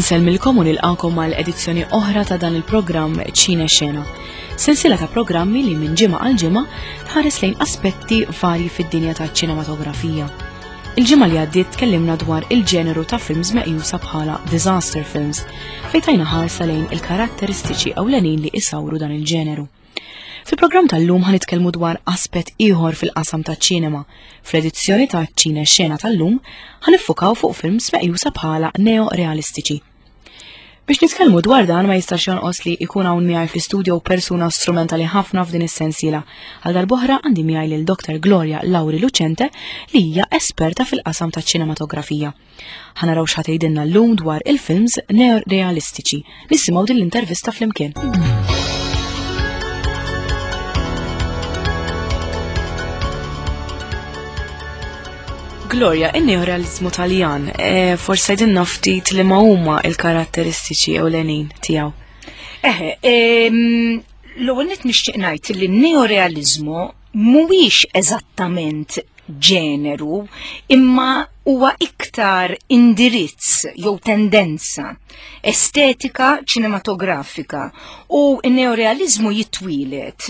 Insellmilkom u nilqakom għal edizzjoni oħra ta' dan il-programm Ċine Xena. Sensiela ta' programmi li minn ġimgħa għal ġimgħa tħares lejn aspetti varji fid-dinja taċ-ċinematografija. Il-ġimgħa li għaddiet tkellimna dwar il-ġeneru ta' films meqjusa bħala disaster films, fejn tajna ħarsa lejn il-karatteristiċi ewlenin li isawru dan il-ġeneru. Fil-programm tal-lum ħan nitkellmu dwar aspett ieħor fil-qasam taċ-ċinema. Fl-edizzjoni ta' Ċine Xena tal-lum ħan niffukaw fuq films meqjusa bħala neo-realistiċi. Biex nitkellmu dwar dan ma jistax jonqos li ikun hawn miegħi fl-istudio persuna strumentali ħafna f'din is-sensiela. Għal darb'oħra għandi miegħi lil Dr. Gloria Lauri Lucente li hija esperta fil-qasam taċ-ċinematografija. Ħa naraw x'ħa tgħidilna llum dwar il-films neorealistiċi. Nisimgħu din l-intervista flimkien. Gloria, in-neorealizmu Taljan, e, forse għidilna ftit li ma huma il-karatteristiċi ewlenin tiegħu. Eħe, l-ewwel nett nixtieq ngħid li n-neorealizmu mhuwiex eżattament ġeneru, imma huwa iktar indirizz jew tendenza estetika ċinematografika u n-neorealizmu jitwieled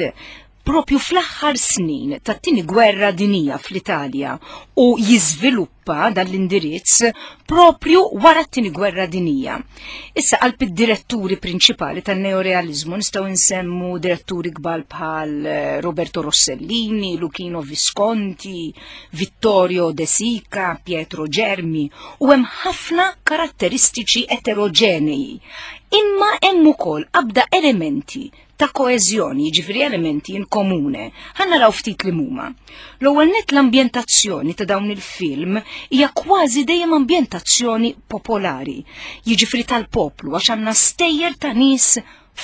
propju fl-aħħar snin tat-tieni gwerra dinija fl-Italja u jiżviluppa dan l-indirizz propju wara t-tieni gwerra dinija. Issa qalb id-diretturi prinċipali tan-neorealizmu nistgħu nsemmu diretturi kbar bħal eh, Roberto Rossellini, Luchino Visconti, Vittorio De Sica, Pietro Germi u hemm ħafna karatteristiċi eteroġenei. Imma hemm ukoll qabda elementi ta' koeżjoni, jiġifieri elementi in komune. Ħa naraw ftit li huma. L-ewwel nett l-ambjentazzjoni ta' dawn il-film hija kważi dejjem ambjentazzjoni popolari, jiġifieri tal-poplu għax għandna stejjer ta' nies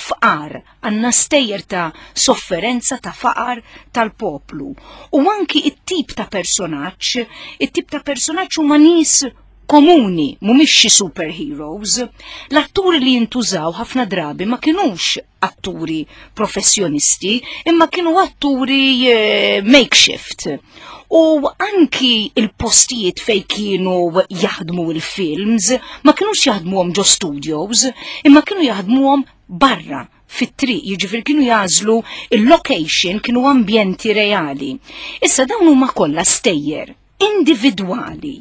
fqar, għandna stejjer ta' sofferenza ta' faqar tal-poplu. U anki it-tip ta' personaġġ, it-tip ta' personaġġ huma nies komuni, mhumiex xi superheroes. L-atturi li jintużaw ħafna drabi ma kinux atturi professjonisti, imma kienu atturi eh, makeshift. U anki il-postijiet fej kienu jaħdmu il-films, ma kinux jaħdmuhom ġo studios, imma kienu jaħdmuhom barra fit-triq, jiġifieri kienu jagħżlu il-location kienu ambjenti reali. Issa dawn huma kollha stejjer individwali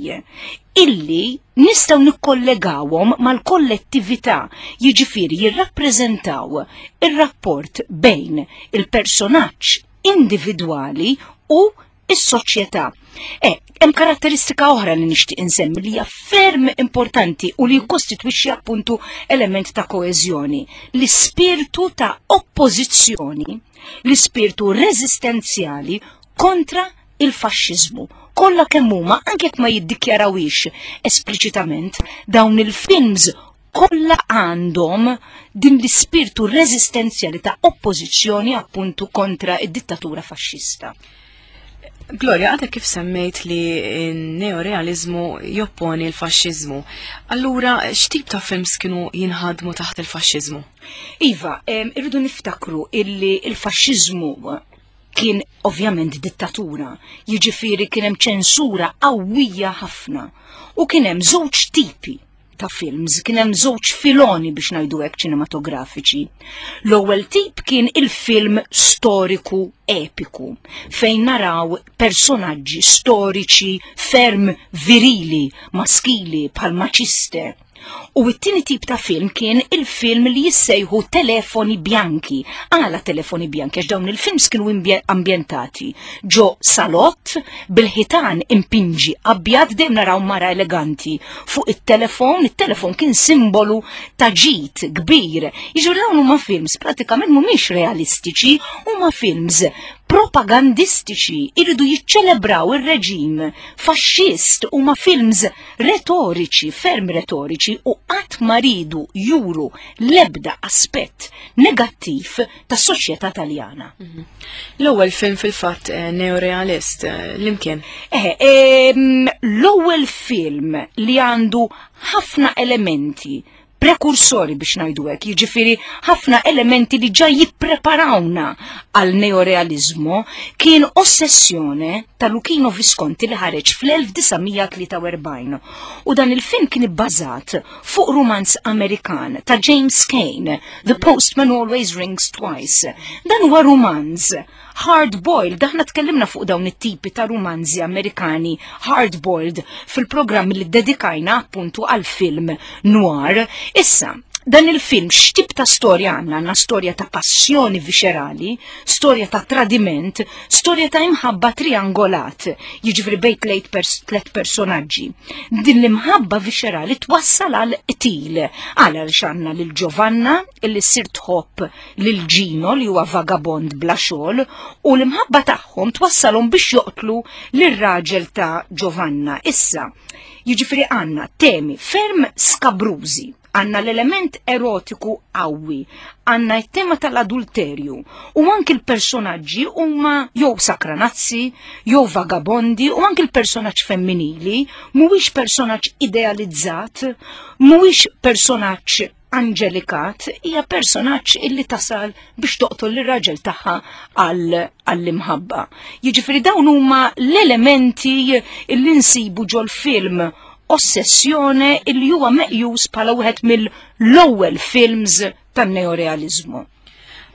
illi nistgħu nikkollegawhom mal-kollettività, jiġifieri jirrappreżentaw ir-rapport bejn il-personaġġ individwali u is-soċjetà. E, hemm karatteristika oħra li nixtieq insemmi li hija ferm importanti u li jikkostitwixxi appuntu element ta' koeżjoni, l-ispirtu ta' oppożizzjoni, l-ispirtu reżistenzjali kontra il-faxxiżmu. Kollha kemm huma anke jekk ma jiddikjarawhiex espliċitament, dawn il-films kollha għandhom din l-ispirtu reżistenzjali ta' oppożizzjoni appuntu kontra id-dittatura faxxista. Gloria, għadek kif semmejt li n-neorealizmu jopponi l-faxxiżmu. Allura, x'tip ta' films kienu jinħadmu taħt il-faxxiżmu? Iva, irridu niftakru illi il-faxxiżmu kien ovvjament dittatura, jiġifieri kien hemm ċensura qawwija ħafna u kien hemm żewġ tipi ta' films, kien hemm żewġ filoni biex ngħidu hekk ċinematografiċi. L-ewwel tip kien il-film storiku epiku, fejn naraw personaġġi storiċi ferm virili, maskili bħal Maciste, U t-tieni tip ta' film kien il-film li jissejħu telefoni bjanki. Għala telefoni bjanki għax dawn il-films kienu ambjentati ġo salott bil-ħitan impinġi abjad dejjem naraw mara eleganti fuq it-telefon, it-telefon kien simbolu ta' ġid kbir. Jiġifieri dawn huma films pratikament mhumiex realistiċi, huma films propagandistiċi, iridu jiċċelebraw ir-reġim faxxist huma films retoriċi, ferm retoriċi u qatt ma ridu juru l-ebda aspett negattiv tas-soċjetà Taljana. Mhm. L-ewwel film fil-fatt eh, neorealist eh, l-imkien. Eh, ehm, l-ewwel film li għandu ħafna elementi. prekursori biex ngħidu hekk, jiġifieri ħafna elementi li ġa jippreparawna għal neorealizmu kien Ossessjone ta' Luchino Visconti li ħareġ fl-1943. U dan il-film kien ibbażat fuq rumanz Amerikan ta' James Cain, The Postman Always Rings Twice. Dan huwa rumanz hard-boiled, aħna tkellimna fuq dawn it-tipi ta' rumanzi Amerikani hard-boiled fil-programm li dedikajna appuntu għal-film noir. Issa, dan il-film x'tip ta' storja għandna? Għandna storja ta' passjoni viscerali, storja ta' tradiment, storja ta' imħabba triangolat, jiġifieri bejn tliet pers personaġġi. Din l-imħabba viscerali twassal għal qtil, għal għaliex għandna lil Giovanna illi ssir tħobb lil Gino li huwa vagabond bla xogħol u l-imħabba tagħhom twassalhom biex joqtlu lir-raġel ta' Giovanna. Issa, jiġifieri għandna temi ferm skabrużi, għandna l-element erotiku qawwi, għandna t-tema tal-adulterju u anki l-personaġġi huma jew sakranazzi, jew vagabondi u anki l-personaġġ femminili mhuwiex personaġġ idealizzat, mhuwiex personaġġ Angelicat hija personaġġ illi tasal biex toqtol lir-raġel tagħha għall-imħabba. Jiġifieri dawn huma l-elementi illi nsibu ġol-film Ossessjone illi huwa meqjus bħala wieħed mill-ewwel films tan-neorealiżmu.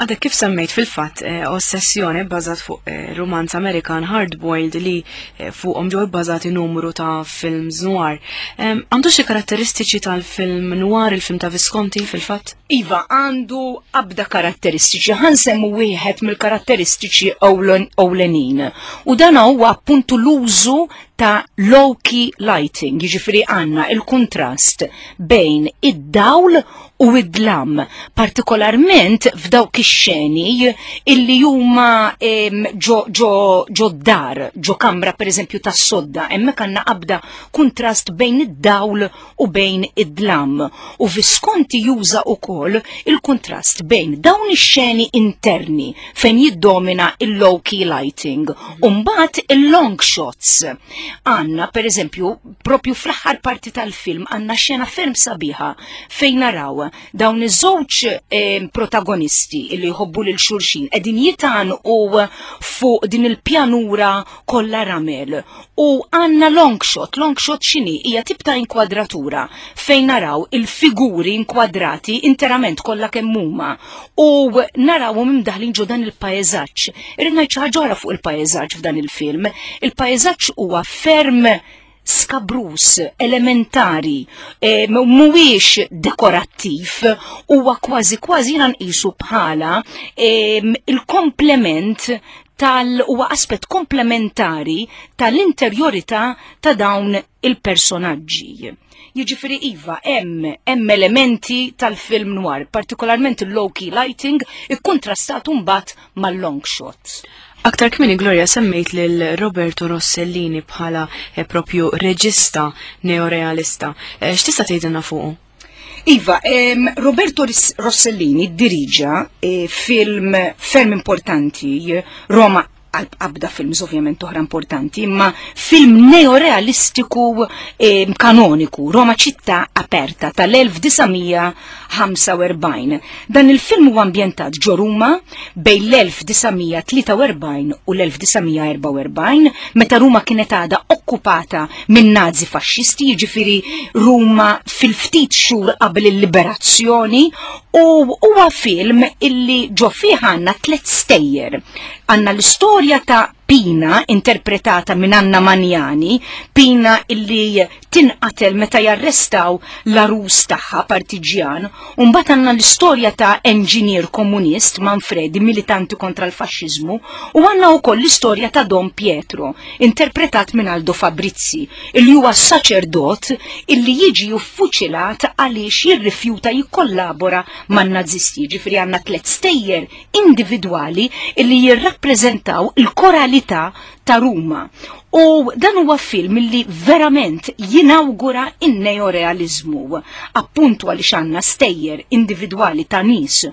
Għadek kif semmejt fil-fatt eh, ossessjoni bbażat fuq eh, rumanz Amerikan Hardboiled li eh, fuqhom ġew bbażati numru ta' films noir. Għandu xi karatteristiċi tal-film noir, il-film ta' Visconti fil-fatt? Iva, għandu abda karatteristiċi, ħansemmu wieħed mill-karatteristiċi ewlenin. U dan huwa appuntu l-użu ta' low-key lighting, jiġifieri għandna il-kuntrast bejn id-dawl u id-dlam, partikolarment f'dawk ix-xeni illi huma ġo, ġo, ġo dar, ġo kamra pereżempju tas-sodda, hemmhekk għandna qabda kuntrast bejn id-dawl u bejn id-dlam. U Visconti juża wkoll il-kuntrast bejn dawn ix-xeni interni fejn jiddomina il-low key lighting u mbagħad il-long shots. Għandna pereżempju propju fl-aħħar parti tal-film għandna xena ferm sabiħa fejn naraw dawn iż-żewġ eh, protagonisti li jħobbu lil xulxin qegħdin jitanqu fuq din il-pjanura kollha ramel u għandna long shot, long shot x'inhi? Hija tip ta' inkwadratura fejn naraw il-figuri inkwadrati interament kollha kemm huma u narawhom imdaħlin ġo dan il-paeżaġġ. Irrid ngħid xi ħaġa oħra fuq il-paeżaġġ f'dan il-film. Il-paeżaġġ huwa ferm skabrus, elementari, eh, mhuwiex dekorattiv, huwa kważi kważi jiena nqisu bħala eh, il-komplement tal huwa aspett komplementari tal-interjorità ta' dawn il-personaġġi. Jiġifieri iva, hemm hemm elementi tal-film noir, partikolarment il-low key lighting ikkuntrastat mbagħad mal-long shots. Aktar kmini Gloria semmejt lil Roberto Rossellini bħala eh, propju reġista neorealista. Eh, x'tista' tgħidilna fuqu? Iva, Roberto Rossellini diriġa eh, film ferm importanti, Roma għabda films ovvjament oħra importanti, imma film neorealistiku eh, kanoniku, Roma ċittà aperta tal-1945. Dan il-film huwa ambjentat ġo Ruma bejn l-1943 u l-1944, meta Ruma kienet għadha okkupata minn Nazi faxxisti, jiġifieri Ruma fil-ftit xhur qabel il-liberazzjoni, u huwa film illi ġo fih għandna tliet stejjer. Għandna l-istorja ta' Pina, interpretata minn Anna Magnani, Pina illi tinqatel meta jarrestaw l-arus tagħha partiġjan, u mbagħad għandna l-istorja ta' enġinier komunist Manfredi, militanti kontra l-faxxiżmu, u għandna wkoll l-istorja ta' Don Pietro, interpretat minn Aldo Fabrizi, illi huwa saċerdot illi jiġi uffuċilat għaliex jirrifjuta jikkollabora man-Nazisti. Ġifieri għandna tliet stejjer individwali illi jirrappreżentaw il-koralità ta' Ruma. U dan huwa film li verament jinawgura in-neorealiżmu, appuntu għaliex għandna stejjer individwali ta' nies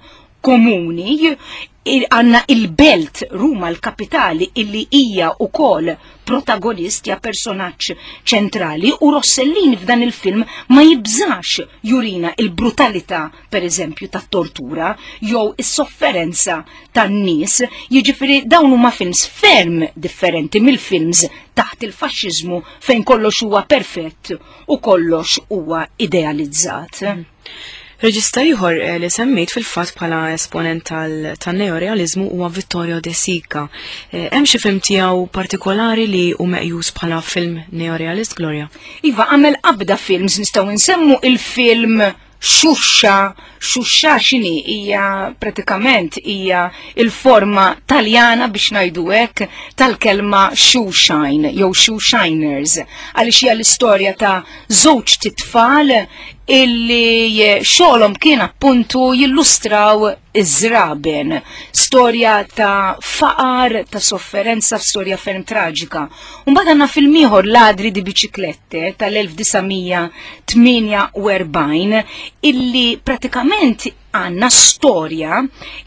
komuni Għandna il-belt Ruma l-kapitali illi hija wkoll protagonist ja personaġġ ċentrali u Rossellini f'dan il-film ma jibżax jurina il-brutalità per eżempju tat-tortura jew is-sofferenza tan-nies, jiġifieri dawn huma films ferm differenti mill-films taħt il-faxxiżmu fejn kollox huwa perfett u kollox huwa idealizzat. Reġista ieħor eh, li semmejt fil-fatt bħala esponent tan-neorealizmu huwa Vittorio De Sica. Eh, hemm xi film tiegħu partikolari li hu meqjus bħala film neorealist, Gloria? Iva, għamel qabda films nistgħu nsemmu il-film Xuxa, xuxa xini hija pratikament hija il-forma taljana biex ngħidu hekk tal-kelma shoeshine jew shoeshiners għaliex hija l-istorja ta' żewġ titfal illi xogħolhom kien appuntu jillustraw iż-żraben. Storja ta' faqar, ta' sofferenza, storja ferm traġika. Mbagħad għandna film ieħor Ladri di Biciclette tal-1948 illi pratikament għandna storja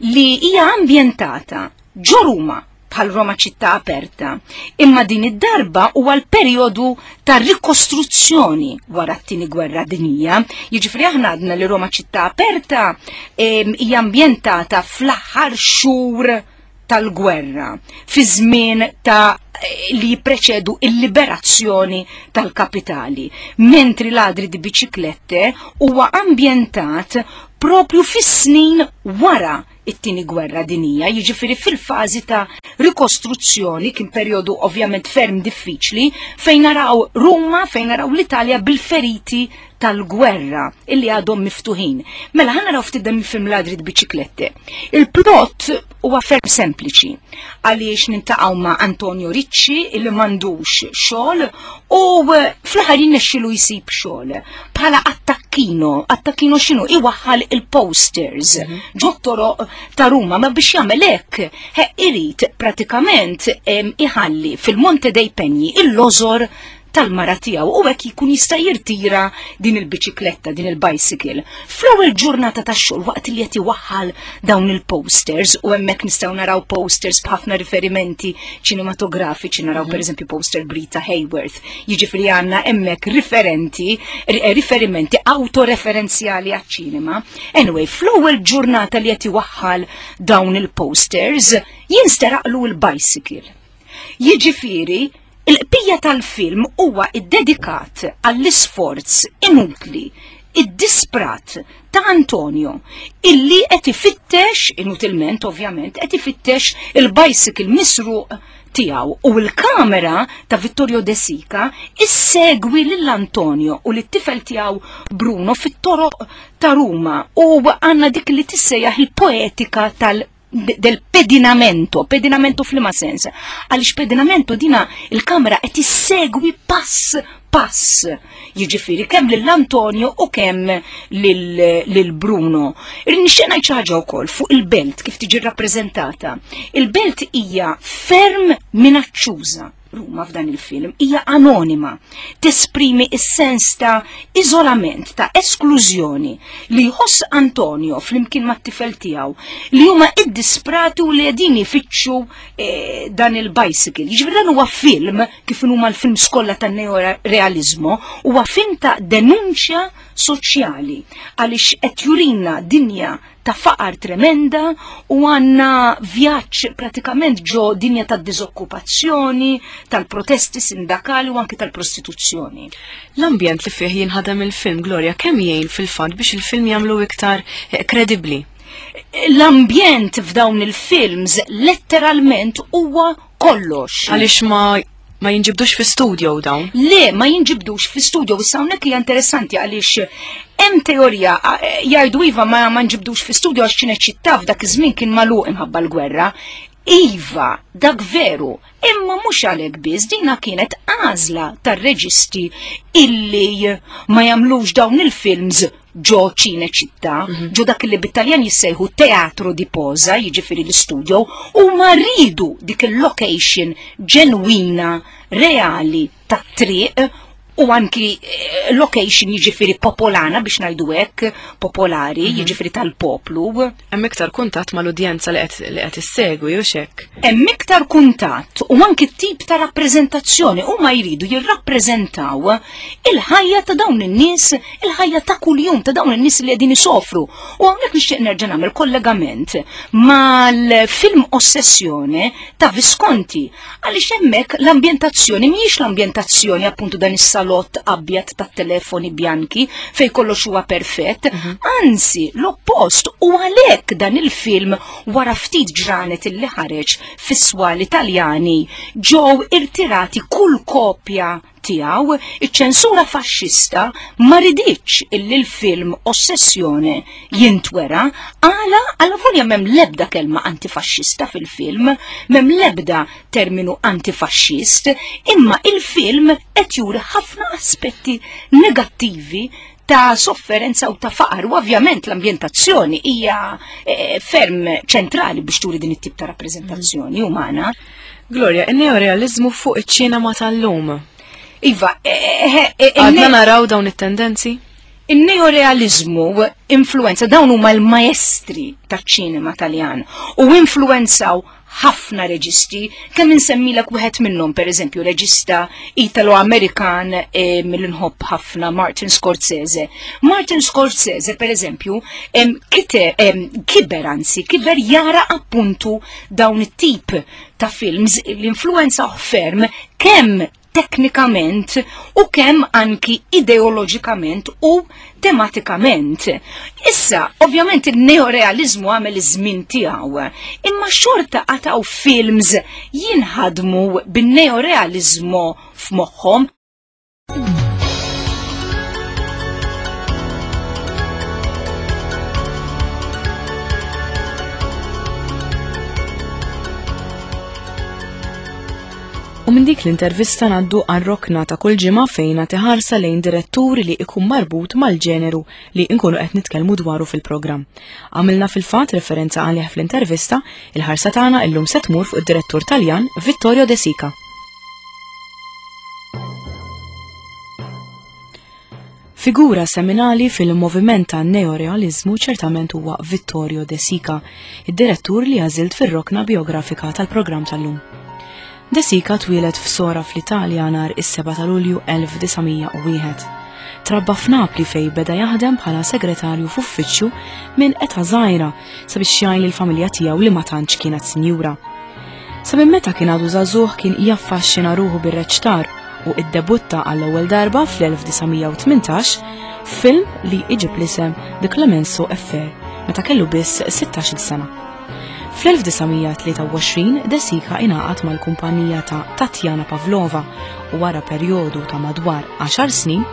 li hija ambjentata ġo Ruma bħal Roma ċittà aperta, imma din id-darba huwa l-perjodu ta' rikostruzzjoni wara t-tieni gwerra dinjija. Jiġifieri aħna għadna li Roma ċittà aperta hija ambjentata fl-aħħar xhur tal-gwerra, fi żmien ta' li jippreċedu il-liberazzjoni tal-kapitali, mentri ladri di biċiklette huwa ambjentat propju fis-snin wara it-tieni gwerra dinija, jiġifieri fil-fażi ta' rikostruzzjoni kien perjodu ovvjament ferm diffiċli fejn naraw Ruma, fejn naraw l-Italja bil-feriti tal-gwerra illi għadhom miftuħin. Mela ħa naraw ftit dan il-film Ladri Biciclette. Il-plot huwa ferm sempliċi għaliex nintaqgħu ma' Antonio Ricci illi m'għandux xogħol u fl-aħħar jinnexxilu jsib xogħol bħala attakkino, attakkino x'inhu iwaħħal il-posters mhm. ġot-toroq ta' Ruma, ma biex jagħmel hekk irid pratikament iħalli fil-Monte dei Pegni il-lożor tal-mara tiegħu u hekk jkun jista' jirtira din il-biċikletta, din il-bicycle. Fl-ewwel ġurnata tax-xogħol waqt li qed iwaħħal dawn il-posters u hemmhekk nistgħu naraw posters b'ħafna riferimenti ċinematografiċi, naraw mhm. pereżempju poster Brita Hayworth, jiġifieri għandna hemmhekk riferenti, eh, riferimenti autoreferenzjali għaċ-ċinema. Anyway, fl-ewwel ġurnata li qed iwaħħal dawn il-posters, jinsteraqlu l-bicycle. Jiġifieri, Il-qbija tal-film huwa ddedikat għall-isforz inutli, iddisprat ta' Antonio illi qed ifittex, inutilment ovvjament, qed ifittex il-bicycle misruq tiegħu u l-kamera ta' Vittorio De Sica issegwi lil Antonio u lit-tifel tiegħu Bruno fit-toroq ta' Ruma u għandna dik li tissejjaħ il-poetika tal- del pedinamento, pedinamento f'liema sens? Għaliex pedinamento dina il-kamera qed issegwi pass pass. Jiġifieri kemm lil Antonio u kemm lil Bruno. Nixtieq ngħid xi ħaġa wkoll fuq il-belt kif tiġi rrappreżentata. Il-belt hija ferm minaċċuża. Ruma f'dan il-film hija anonima, tesprimi s-sens ta' iżolament, ta' esklużjoni li jħoss Antonio flimkien mat-tifel tiegħu li huma iddisprati u li qegħdin ifittxu eh, dan il-bicycle. Jiġifieri dan huwa film kif huma l-films kollha tan-neorealizmu, huwa film ta' denunċja soċjali għaliex qed jurina dinja ta' faqar tremenda u għanna vjaġġ pratikament ġo dinja ta' diżokkupazzjoni, tal-protesti sindakali u anki tal-prostituzzjoni. L-ambjent li fih jinħadem il-film Gloria kemm jgħin fil-fatt biex il-film jagħmlu iktar eh, kredibbli? L-ambjent f'dawn il-films letteralment huwa kollox. Għaliex ma ma jinġibdux fi studio dawn? Le, ma jinġibdux fi studio. Issa hawnhekk hija interessanti għaliex hemm teorija jgħidu iva ma, ma nġibdux fi studio għax ċineċittà f'dak iż-żmien kien magħluq imħabba l-gwerra. Iva, dak veru, imma mhux għalhekk biss dina kienet għażla tar-reġisti illi ma jagħmlux dawn il-films ġo Cinecittà, mhm. ġo dak li bit-Taljan jissejħu teatro di posa, jiġifieri l-istudio, u ma ridu dik il-location ġenwina, reali tat-triq. U anki eh, location jiġifieri popolana biex ngħidu hekk, popolari, mhm. jiġifieri tal-poplu. Hemm iktar kuntatt mal-udjenza li qed issegwi u xek. Hemm iktar kuntatt u anki tip ta' rappreżentazzjoni huma jridu jirrappreżentaw il-ħajja ta' dawn in-nies, il-ħajja ta' kuljum ta' dawn in-nies li qegħdin isofru. U hawnhekk nixtieq nerġa' nagħmel kollegament mal-film Ossessjone ta' Visconti Għaliex hemmhekk l-ambjentazzjoni mhijiex l-ambjentazzjoni appuntu dan is-salott abjad tat-telefoni bjanki fejn kollox huwa perfett, mhm. anzi l-oppost u għalhekk dan il-film wara ftit ġranet illi ħareġ fis-swali Taljani ġew irtirati kull kopja tiegħu, iċ-ċensura faxxista ma riditx illi l-film Ossessjone jintwera għala għala volja m'hemm l-ebda kelma antifaxxista fil-film, m'hemm l-ebda terminu antifaxxist, imma il-film qed juri ħafna aspetti negattivi ta' sofferenza u ta' faqar u ovvjament l-ambjentazzjoni hija eh, ferm ċentrali biex turi din it-tip ta' rappreżentazzjoni umana. Gloria, in-neorealizmu fuq iċ-ċinema tal-lum. Iva, eh, eh, għadna naraw dawn it-tendenzi? In-neorealizmu influenza dawn huma l-maestri taċ-ċinema Taljan u influenzaw ħafna reġisti, kemm insemmilek wieħed minnhom pereżempju reġista Italo-Amerikan eh, mill-inħobb ħafna Martin Scorsese. Martin Scorsese pereżempju kiber anzi, kiber jara appuntu dawn it-tip ta' films l-influenza ferm kemm teknikament u kemm anki ideoloġikament u tematikament. Issa, ovvjament il-neorealizmu għamel iż-żmien tiegħu, imma xorta għataw films jinħadmu bin-neorealizmu f'moħħhom. U minn dik l-intervista ngħaddu għar-rokna ta' kull ġimgħa fejn nagħti ħarsa lejn direttur li ikun marbut mal-ġeneru li nkunu qed nitkellmu dwaru fil-programm. Għamilna fil-fatt referenza għalih fl-intervista, il-ħarsa tagħna illum se tmur fuq id-direttur Taljan Vittorio De Sica. Figura seminali fil-moviment ta' neorealizmu ċertament huwa Vittorio De Sica, id-direttur li għażilt fir-rokna biografika tal-programm tal-lum. De Sica twieled f'Sora fl-Italja nhar is-7 ta' Lulju 1901. Trabba f'Napli fej beda jaħdem bħala segretarju f'uffiċċju minn età żgħira sabiex jgħin lill-familja tiegħu li ma tantx kienet sinjura. Sa minn meta kien għadu żagħżugħ kien jaffaxxina ruħu bir-reċtar u iddebutta għall-ewwel darba fl-1918 f'film li iġib l-isem The Clemenceau Affair meta kellu biss 16-il sena. Fl-1923 De Sica ingħaqad mal-kumpanija ta' Tatjana Pavlova u wara perjodu ta' madwar 10 snin,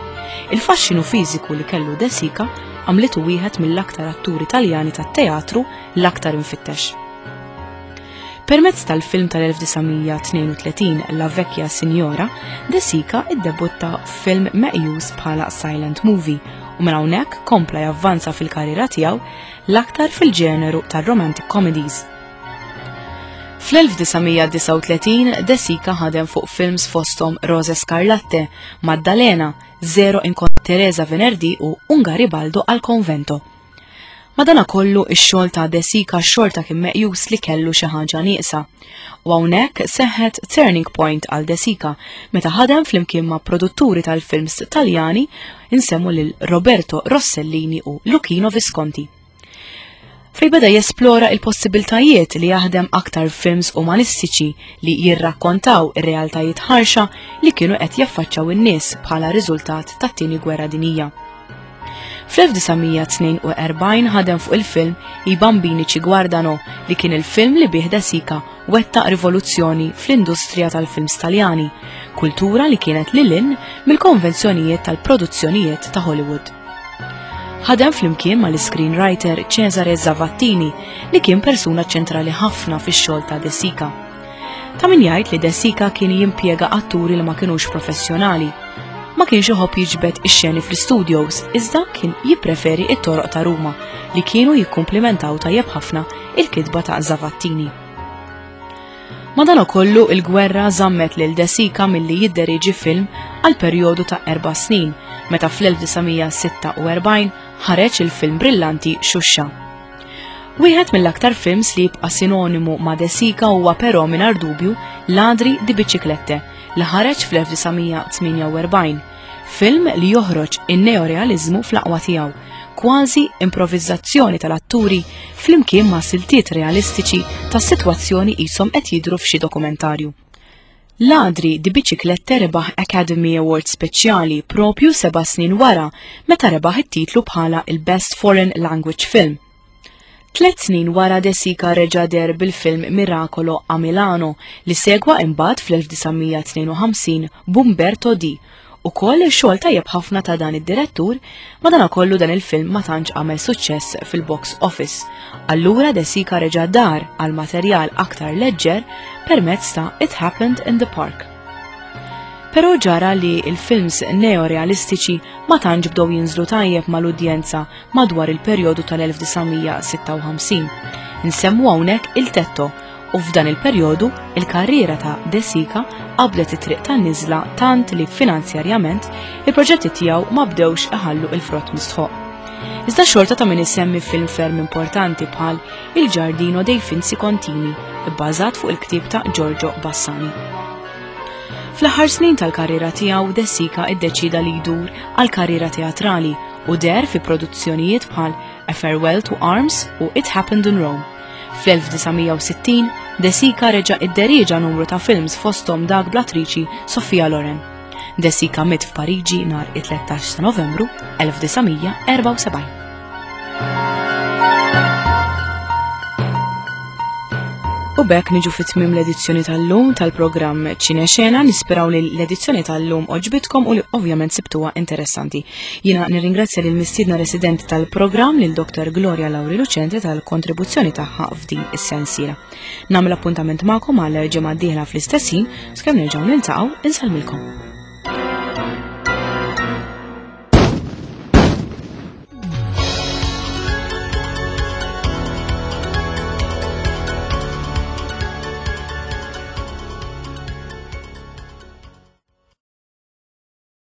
il-faxxinu fiżiku li kellu De Sica għamlitu wieħed mill-aktar atturi Taljani tat-teatru l-aktar imfittex. Permezz tal-film tal-1932 La Vecchia Signora, De Sica iddebutta f'film meqjus bħala silent movie u minn hawnhekk kompla javvanza fil-karriera tiegħu l-aktar fil-ġeneru tar-romantic comedies. Fl-1939 De Sica ħadem fuq films fosthom Rose Scarlatte, Maddalena, Zero in Teresa Venerdì u Un Garibaldo al Convento. Madanakollu ix-xogħol ta' De Sica xorta kien meqjus li kellu xi ħaġa nieqsa. U hawnhekk seħħet turning point għal De Sica meta ħadem flimkien ma' produtturi tal-films Taljani insemmu lil Roberto Rossellini u Luchino Visconti. Fej beda jesplora il-possibiltajiet li jaħdem aktar films umanistiċi li jirrakkontaw ir-realtajiet ħarxa li kienu qed jaffaċċaw in-nies bħala riżultat tat-tieni gwerra dinija. Fl-1942 ħadem fuq il-film I Bambini Ci Guardano li kien il-film li bih De Sica wettaq rivoluzzjoni fl-industrija tal-films Taljani, kultura li kienet lil hinn mill-konvenzjonijiet tal-produzzjonijiet ta' Hollywood. Ħadem flimkien mal-screenwriter Cesare Zavattini li kien persuna ċentrali ħafna fix-xogħol ta' De Sica. Ta' min jgħid li De Sica kien jimpjega atturi li ma kinux professjonali. Ma kienx iħobb jiġbed ix-xeni fl-istudios, iżda kien jippreferi it-toroq ta' Ruma li kienu jikkumplimentaw tajjeb ħafna il-kitba ta' Zavattini. Madanakollu il-gwerra żammet lil De Sica milli jidderieġi film għal perjodu ta' erba' snin meta fl-1946 ħareġ il-film brillanti Xuxa. Wieħed mill-aktar films li jibqa' sinonimu ma' De Sica huwa però mingħajr dubju Ladri di Biciclette li ħareġ fl-1948, film li joħroġ in-neorealiżmu fl-aqwa tiegħu, kważi improvizzazzjoni tal-atturi flimkien ma' siltiet realistiċi ta' sitwazzjoni qishom qed jidhru f'xi dokumentarju. Ladri di Biciclette rebaħ Academy Award speċjali propju seba' snin wara meta rebaħ it-titlu bħala il-Best Foreign Language Film. Tlet snin wara De Sica reġa' deher bil-film Miracolo a Milano li segwa imbagħad fl-1952 b'Umberto D. Ukoll xogħol tajjeb ħafna ta' dan id-direttur, madanakollu dan il-film ma tantx għamel suċċess fil-box office. Allura De Sica reġa' dar għal materjal aktar leġġer permezz ta' It Happened in the Park. Però ġara li il-films neorealistiċi ma tantx bdew jinżlu tajjeb mal-udjenza madwar il-perjodu tal-1956. Nsemmu hawnhekk Il Tetto u f'dan il-perjodu il-karriera ta' De Sica qabdet it-triq tan-niżla tant li finanzjarjament il-proġetti tiegħu ma bdewx iħallu il-frott mistħoq. Iżda xorta ta' min isemmi film ferm importanti bħal Il Giardino dei Finzi Contini, bbażat fuq il-ktieb ta' Giorgio Bassani. Fl-aħħar snin tal-karriera tiegħu De Sica iddeċida li jdur għal karriera teatrali u deher fi produzzjonijiet bħal A Farewell to Arms u It Happened in Rome. Fl-1960, De Sica reġa' idderieġa numru ta' films fosthom dak bl-attriċi Sofia Loren. De Sica miet f'Pariġi nhar it-13 ta' Novembru 1974. U bekk niġu fit tmim l-edizzjoni tal-lum tal-programm Ċinexena, nisperaw li l-edizzjoni tal-lum oġbitkom u li ovvjament sibtuha interessanti. Jiena nirringrazzja lil mistiedna residenti tal-programm lil Dr. Gloria Lauri Lucente tal-kontribuzzjoni tagħha f'din is-sensiela. Nagħmel appuntament magħkom għal ġimgħa d-dieħla fl-istess ħin, skemm nerġgħu niltaqgħu insellmilkom.